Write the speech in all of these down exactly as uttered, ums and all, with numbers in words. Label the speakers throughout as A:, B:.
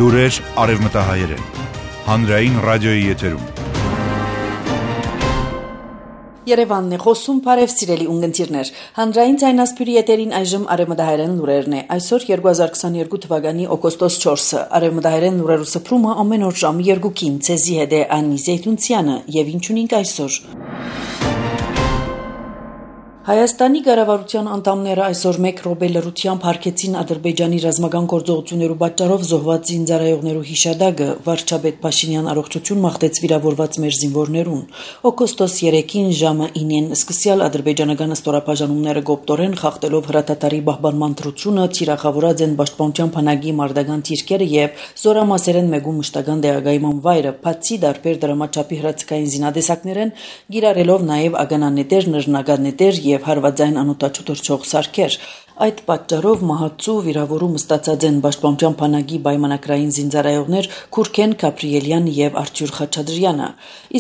A: Լուրեր արևմտահայերեն, հանրային ռադիոյի եթերում։
B: Երևանն է խոսում, բարև սիրելի ունգընտիրներ։ Հանրային ձայնասփյուրի եթերին այժմ արևմտահայերեն լուրերն է։ Այսօր երկու հազար քսաներկու թվականի օգոստոս չորսը։ Արևմտահայերեն լուրերու սփռումը ամեն օր ժամը երկուքին ցեզի հետ է Անի Զեյթունցյանը, եւ ինչ ունենք այսօր։ Հայաստանի կառավարության անդամները այսօր մեկ րոպե լռությամբ հարգեցին Ադրբեջանի ռազմական գործողություններու պատճառով զոհված զինծառայողներու հիշադակը։ Վարչապետ Փաշինյան առողջություն մաղթեց վիրավորված մեր զինվորներուն։ Օգոստոս երեքին ժամը ինին սկսյալ ադրբեջանական ստորաբաժանումները գոպտորեն խախտելով հրատատարի պահպանման դրությունը թիրախավորած են պաշտպանության բանակի մարտական թիրքերը եւ զորամասերեն մեգու մշտական դեղագայման վայրը, բացի դարբեր դրամաչափի հրացքային զինադեսակներեն, գիրառելով նաեւ ագանանետեր, նռնականետեր եւ հարվածային անօտաչու թռչող սարքեր։ Այդ պատճառով մահացու վիրավորում ստացած են պաշտպանության բանակի պայմանագրային զինծառայողներ Քուրքեն Գաբրիելյան եւ Արթուր Խաչատրյանը,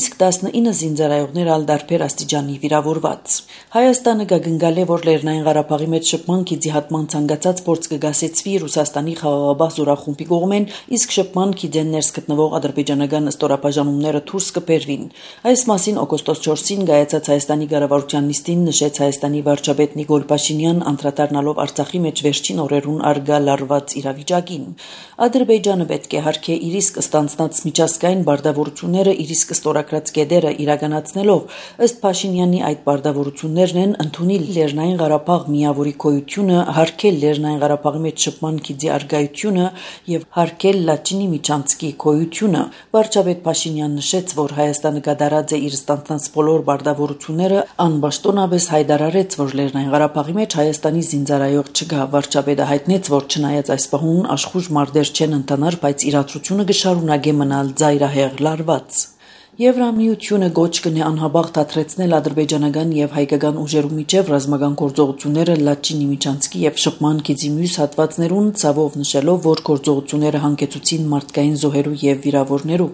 B: իսկ տասնինը զինծառայողներ ալ դարբեր աստիճանի վիրավորված։ Հայաստանը գագնգալ է, որ Լեռնային Ղարաբաղի մեջ շփման քիծի հատման ցանկացած փորձ կգասեցվի Ռուսաստանի խաղաղապահ զորախումբի կողմեն, իսկ շփման քիծեն ներս գտնվող ադրբեջանական ստորաբաժանումները դուրս կբերվին։ Այս մասին օգոստոս չորսին գայացած Հայաստանի կառավարության նիստին նշեց Հայաստանի վարչապետ Նիկոլ Փաշինյան անդրադառնալով Արցախի մեջ վերջին օրերուն արգա լարված իրավիճակին։ Ադրբեջանը պետք է հարգե իր իսկ ստանձնած միջազգային բարդավորությունները իր իսկ ստորագրած կետերը իրականացնելով, ըստ Փաշինյանի այդ բարդավորություններն են ընդունել Լեռնային Ղարաբաղ միավորի գոյությունը, հարգել Լեռնային Ղարաբաղի մեջ շփման քիծի արգայությունը եւ հարգել Լաչինի միջանցքի գոյությունը։ Վարչապետ Փաշինյանն նշեց, որ Հայաստանը կատարած է իր ստանձնած բոլոր բարդավորությունները, անպաշտոնապես հայտարարեց, որ Լեռնային Ղարաբաղի մեջ Հայաստանի զինծառայող չկա։ Վարչապետը հայտնեց, որ չնայած այս պահուն աշխուժ մարտեր չեն ընթանար, բայց իրադրությունը կշարունակե մնալ ծայրահեղ լարված։ Եվրամիությունը գոչ կնե անհաբաղ դադրեցնել ադրբեջանական եւ հայկական ուժերու միջև ռազմական գործողությունները Լաչինի միջանցքի եւ շփման քիծի մյուս հատվածներուն, ցավով նշելով, որ գործողությունները հանգեցուցին մարդկային զոհերու եւ վիրավորներու։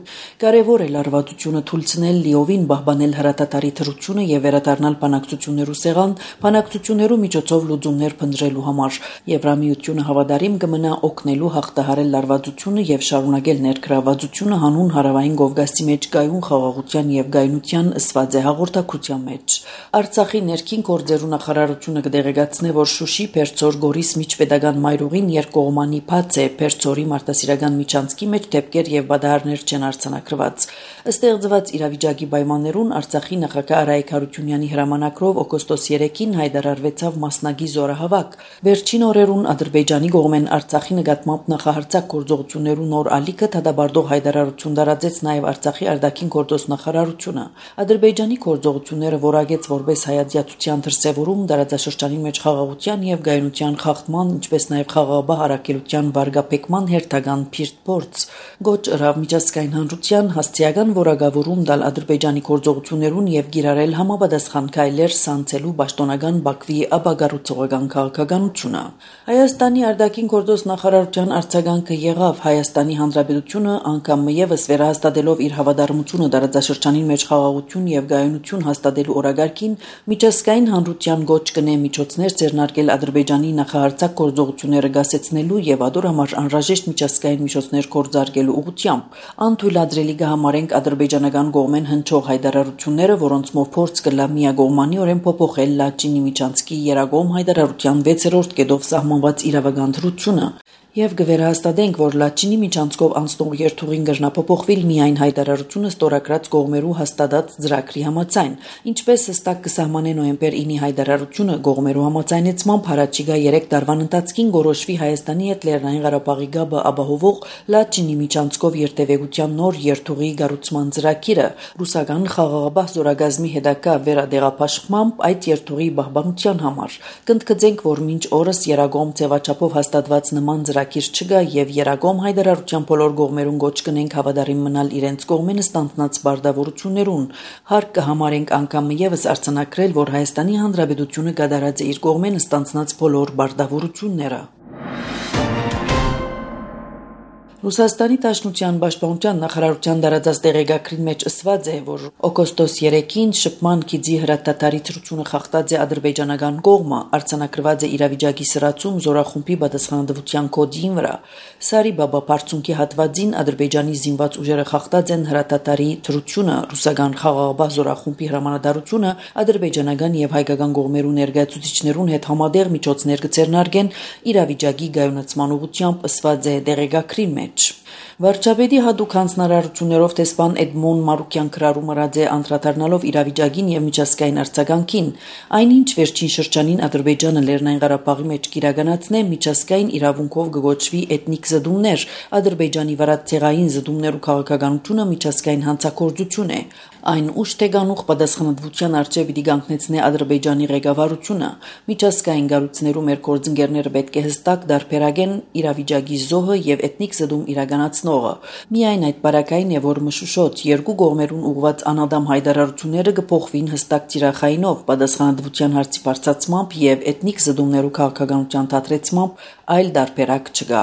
B: Կարևոր է լարվածությունը թույլանել լիովին պահպանել հրատատարի թրությունը եւ վերադառնալ բանակցություններու սեղան, բանակցություններու միջոցով լուծումներ փնտրելու համար։ Եվրամիությունը հավատարիմ կմնա օգնելու հաղթահարել լարվածությունը եւ շարունակել ներգրավվածությունը հանուն հարավային Կովկասի մեջ գայուն խաղաղության եւ գայնության ըսված է հաղորդակցության մեջ։ Արցախի ներքին գործերու նախարարությունը կդեղեկացնե, որ Շուշի Փերձոր Գորիս միջպետական մայրուղին երկկողմանի բաց է, Փերձորի մարտահրավերական միջանցքի մեջ դեպքեր եւ բադահարներ չեն արձանագրված։ Ստեղծված իրավիճակի պայմաններուն Արցախի նախագահ Արայիկ Հարությունյանի հրամանակրով օգոստոս երեքին հայտարարվեցավ մասնագի զորահավաք։ Վերջին օրերուն Ադրբեջանի կողմեն Արցախի նկատմամբ նախահարցակ գործողություններու նոր ալիքը դադարող հայտարարություն տարածեց նաեւ Արցախի արտաքին գործոստնախարարությունը։ Ադրբեջանի գործողությունները որակեց որպես հայացյացության դրսևորում տարածաշրջանի մեջ խաղաղության եւ գայունության խախտման, ինչպես նաեւ խաղաղապահ առաքելության վարգապեկման հերթական փիրտ փորձ։ Գոչ ըրավ միջազգային հանրության հաստիական որակավորում տալ Ադրբեջանի գործողություններուն եւ գիրառել համապատասխան քայլեր սանցելու պաշտոնական Բաքվի ապագարուցողական քաղաքականությունը։ Հայաստանի արտաքին գործոստնախարարության արձագանքը եղավ Հայաստանի Հանրապետությունը անգամ եւս վերահաստատելով իր հավատարմությունը տարածաշրջանին մեջ խաղաղություն եւ գայունություն հաստատելու օրագարկին միջազգային հանրության գոչ կնե միջոցներ ձեռնարկել Ադրբեջանի նախահարցակ գործողությունները գասեցնելու եւ ադոր համար անհրաժեշտ միջազգային միջոցներ կորձարկելու ուղղությամբ։ Անթույլատրելի կհամարենք ադրբեջանական կողմեն հնչող հայտարարությունները, որոնցմով փորձ կլա միագողմանիորեն փոփոխել Լաչինի միջանցքի երագոմ հայտարարության վեցերորդ կետով սահմանված իրավական դրությունը։ Եվ կվերահաստատենք, որ Լաչինի միջանցքով անցնող երթուղին կրնափոփոխվի միայն հայտարարությունը ստորագրած կողմերու հաստատած ծրագրի համաձայն, ինչպես հստակ կսահմանե նոյեմբեր ինի հայտարարությունը կողմերու համաձայնեցմամբ հարաճիգա երեք տարվան ընթացքին գորոշվի Հայաստանի հետ Լեռնային Ղարաբաղի գաբը ապահովող Լաչինի միջանցքով երթևեկության նոր երթուղի կառուցման ծրագիրը։ Ռուսական խաղաղապահ զորագազմի հետագա վերադեղափաշխմամբ այդ երթուղի պահպանության համար։ Կընդգծենք, որ մինչ օրս երագոմ ձևաչափով հաստատված նման ծրագիր չկա եւ երագոմ հայտարարության բոլոր կողմերուն գոչ կնենք հավատարիմ մնալ իրենց կողմեն ստանձնած բարդավորություններուն։ Հարկ կհամարենք անգամ եւս արձանագրել, որ Հայաստանի Հանրապետությունը կատարած է իր կողմեն ստանձնած բոլոր բարդավորությունները։ Ռուսաստանի Դաշնության պաշտպանության նախարարության դարաձած տեղեկագրին մեջ ասված է, որ օգոստոս երեքին շփման գիծի հրատատարի թրությունը խախտած է ադրբեջանական կողմը, արձանագրված է իրավիճակի սրացում զորախումբի պատասխանատվության կոդին վրա։ Սարի Բաբա բարձունքի հատվածին Ադրբեջանի զինված ուժերը խախտած են հրատատարի թրությունը, ռուսական խաղաղապահ զորախումբի հրամանատարությունը ադրբեջանական եւ հայկական կողմերու ներկայացուցիչներուն հետ համատեղ միջոցներ կձեռնարկեն իրավիճակի գայունացման ուղղությամբ ասված է տեղեկագրի մեջ։ Վարչապետի հատուկ հանձնարարություններով տեսփան Էդմոն Մարուկյան քրարում ըրած է անդրադառնալով իրավիճակին եւ միջազգային արձագանքին, այնինչ վերջին շրջանին Ադրբեջանը Լեռնային Ղարաբաղի մեջ կիրականացնե միջազգային իրավունքով գոչվի էթնիկ զդումներ, Ադրբեջանի վրա ցեղային զդումներ ու քաղաքականությունը միջազգային հանցագործություն է։ Այն ուշ թե գանուխ պատասխանատվության առջև պիտի կանգնեցնե Ադրբեջանի ղեկավարությունը։ Միջազգային գառույցներու մեր գործընկերները պետք է հստակ դարբերակեն իրավիճակի զոհը եւ էթնիկ զդում իրականացնողը։ Միայն այդ բարակային է, որ մշուշոտ երկու կողմերուն ուղված անադամ հայտարարությունները կփոխվին հստակ ծիրախայինով, պատասխանատվության հարցի բարձրացմամբ եւ էթնիկ զդումներու քաղաքականության դադրեցմամբ այլ դարբերակ չկա։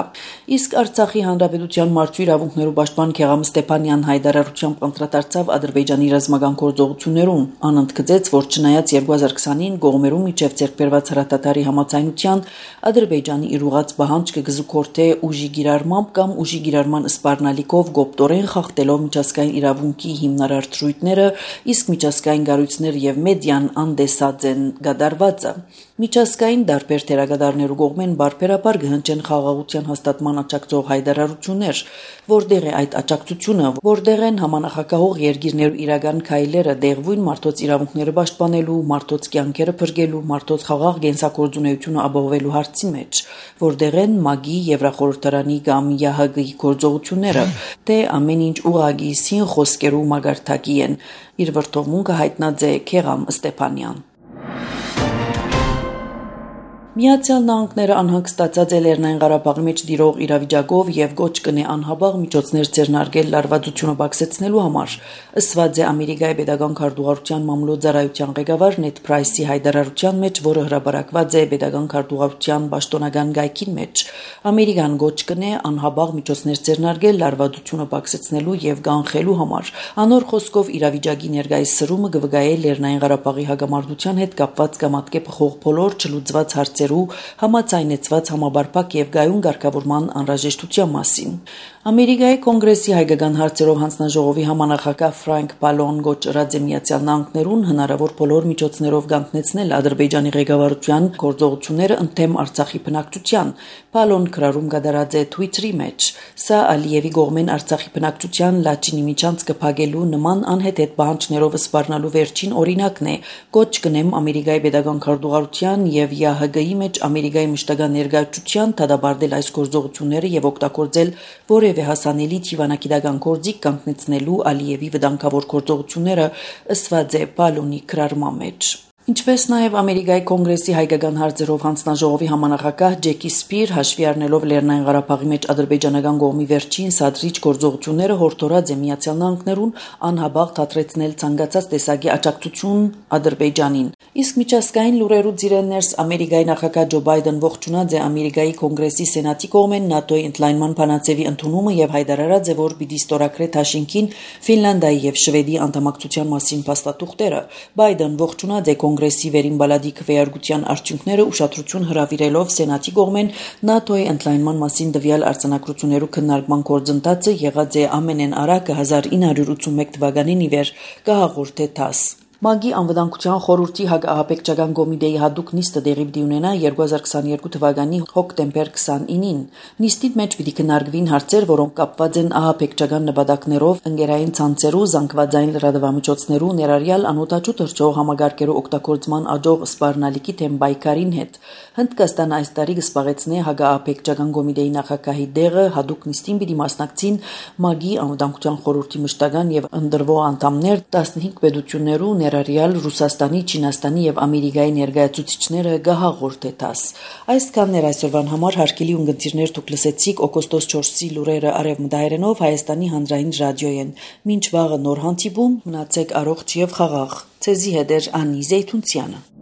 B: Իսկ Արցախի հանրապետության մարդու իրավունքներու պաշտպան Քեղամ Ստեփանյան հայտարարությամբ անդրադարձավ Ադրբեջանի ռազմական գործողություններուն, անընդգծեց, որ չնայած երկու հազար քսանին կողմերու միջև ձեռքբերված հրատատարի համաձայնության Ադրբեջանի իր ուղած պահանջը կզուգորդե ուժի գիրառմամբ կամ ուժի գիրառման սպառնալիքով գոպտորեն խախտելով միջազգային իրավունքի հիմնարար դրույթները, իսկ միջազգային գառույցներ եւ մեդիան անդեսած են գդարվածը։ Միջազգային դարբեր թերագադարներու կողմեն բարբերաբար կհնչեն խաղաղության հաստատման աջակցող հայտարարություններ, որտեղ է այդ աջակցությունը, որտեղ են համանախագահող երկիրներու իրական քայլերը դեղվույն մարդոց իրավունքները պաշտպանելու, մարդոց կյանքերը փրկելու, մարդոց խաղաղ գենսակորձունեությունը ապահովելու հարցի մեջ, որտեղ են ՄԱԳ-ի, Եվրախորհրդարանի կամ ԵԱՀԿ-ի գործողությունները, թե ամեն ինչ ուղղակի սին խոսքերու մագարտակի են։ Իր վրթովմունքը հայտնած է Քեղամ Ստեփանյան։ Միացյալ Նահանգները անհանգստացած է Լեռնային Ղարաբաղի մեջ դիրող իրավիճակով եւ գոչ կնե անհաբաղ միջոցներ ձեռնարկել լարվածությունը բացեցնելու համար, ըսված է Ամերիկայի Պետական քարտուղարության մամլոյցարայության ղեկավար Նեթ Փրայսի հայտարարության մեջ, որը հրապարակված է Պետական քարտուղարության պաշտոնական գայքին մեջ։ Ամերիկան գոչ կնե անհաբաղ միջոցներ ձեռնարկել լարվածությունը բացեցնելու եւ կանխելու համար։ Անոր խոսքով իրավիճակի ներկայիս սրումը կվգայե Լեռնային Ղարաբաղի հագամարտության հետ կապված կամատկե փոխող բոլոր չլուծված հարցեր համաձայնեցված համաբարփակ եւ գայուն ղեկավարման անհրաժեշտության մասին։ Ամերիկայի կոնգրեսի հայկական հարցերով հանձնաժողովի համանախագահ Ֆրանկ Պալոն գոչ ըրած է Միացյալ Նահանգներուն հնարավոր բոլոր միջոցներով կանգնեցնել Ադրբեջանի ղեկավարության գործողությունները ընդդեմ Արցախի բնակչության։ Պալոն քրարում կդարած է Twitter-ի մեջ։ Սա Ալիևի կողմեն Արցախի բնակչության Լաչինի միջանց կփակելու նման անհեթեթ պահանջներով սպառնալու վերջին օրինակն է։ Գոչ կնեմ Ամերիկայի Պետական քարտուղարության եւ ԵԱՀԿ-ի մեջ Ամերիկայի մշտական ներկայացության դադարել այս գործողությունները եւ օգտագործել որևէ հասանելի թիվանակիտական գործիք կանգնեցնելու Ալիևի վտանգավոր գործողությունները, ըսված է Պալոնի քրարման մեջ։ Ինչպես նաև Ամերիկայի կոնգրեսի հայկական հարցերով հանձնաժողովի համանախագահ Ջեկի Սպիր հաշվի առնելով Լեռնային Ղարաբաղի մեջ ադրբեջանական կողմի վերջին սադրիչ գործողությունները հորդորած է Միացյալ Նահանգներուն անհաբաղ դադրեցնել ցանկացած տեսակի աջակցություն Ադրբեջանին։ Իսկ միջազգային լուրերու ձիրներս Ամերիկայի նախագահ Ջո Բայդեն ողջունած է Ամերիկայի կոնգրեսի սենատի կողմեն ՆԱՏՕ-ի ընդլայնման փանացեվի ընդունումը եւ հայտարարած է, որ պիտի ստորագրե Թաշինքին Ֆինլանդիայի եւ Շվեդի անդամակցության մասին փաստաթուղթերը։ Բայդեն ողջունած է կոնգրեսի վերին բալադի քվեարկության արդյունքները ուշադրություն հրավիրելով սենատի կողմեն ՆԱՏՕ-ի ընդլայնման մասին դվյալ արձանագրություններու քննարկման գործընթացը եղած է ամենեն արագը հազար ինը հարյուր ութսունմեկ թվականին ի վեր կհաղորդե ԹԱՍ։ ՄԱԳ-ի անվտանգության խորհրդի հակաահաբեկչական կոմիտեի հատուկ նիստը տեղի պիտի ունենա երկու հազար քսաներկու թվականի հոկտեմբեր քսանինին։ Նիստի մեջ պիտի քննարկվին հարցեր, որոնք կապված են ահաբեկչական նպատակներով, ընկերային ցանցերու, զանգվածային լրատվամիջոցներու, ներառյալ անօտաչու թռչող համագարկերու օգտագործման աջող սպառնալիքի թեմ պայքարին հետ։ Հնդկաստանը այս տարի կսպաղեցնե հակաահաբեկչական կոմիտեի նախագահի դեղը, հատուկ նիստին պիտի մասնակցին ՄԱԳ-ի անվտանգության խորհրդի մշտական եւ ընդրվող անդամներ տասնհինգ պետություններու ներառյալ Ռուսաստանի, Չինաստանի եւ Ամերիկայի ներկայացուցիչները գահաղորդե ՏԱՍ։ Այսքանն էր այսօրվան համար հարգելի ունգընտիրներ, դուք լսեցիք օգոստոս չորսի լուրերը արևմտահայերենով Հայաստանի հանրային ռադիոյեն։ Մինչ վաղը նոր հանդիպում, մնացեք առողջ եւ խաղաղ։ Ցեզի հետ էր Անի Զեյթունցյանը։